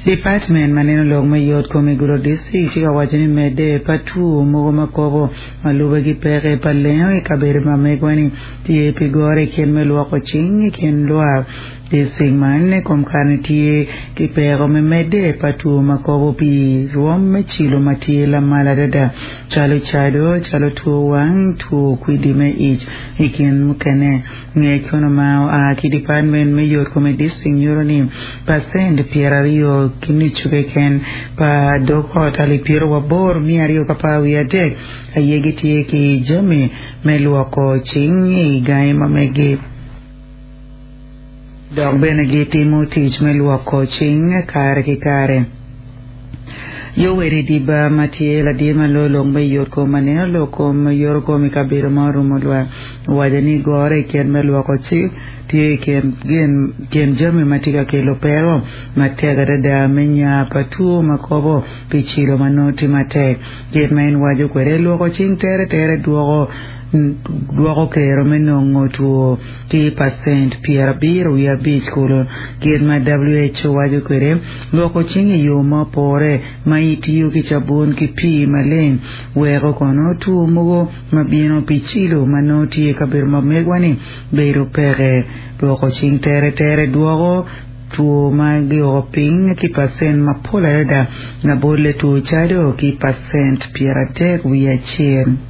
Dipatmen ma neno lok me yot kom i Gulu District tye ka waco ni medde pa two mogo ma kobo ma lube ki peke pa lengo i kabedo ma megwa-ni tye pi goro i kit me lwoko cing i kin lwak. District man i kom kare-ni tye ki peko me medde pa two ma kobo pi rwom me cilo ma tye lamal adada calo cado, calo two wang, two kwidi me ic i kin mukene. Ngec kono ma oa ki Department me yot kom i district nyuto ni pacent 20 ki nucu keken pa dog ot alip 8223 aye gitye ki jami me lwoko cing i gangi ma megi dok bene gitimo tic me lwoko cing kare ki kare. Yoweri Diba ma tye ladit ma loyo lok me yot kom ma neno lok kom yoto kom i kabedo ma orumo lwak owaco ni gore i kit me lwoko cik tye i kin gin jami ma tye ka kelo peko matek adada me nya pa two ma kobo pi cilo ma nongo tye matek. Kit ma en waco kwede lwoko cing tere tere dwoko dwoko kero me nongo two ki pacent 75 kulu. Kit ma WHO waco kwede, lwoko cing i yo ma opore ma itiyo ki cabun ki pii maleng weko kono two mogo ma bino pi cilo ma nongo tye i kabedo ma megwa-ni bedo peke. Lwoko cing teretere dwoko two ma gioko piny ki pacent mapol adada, labolle two cado ki pacent 31.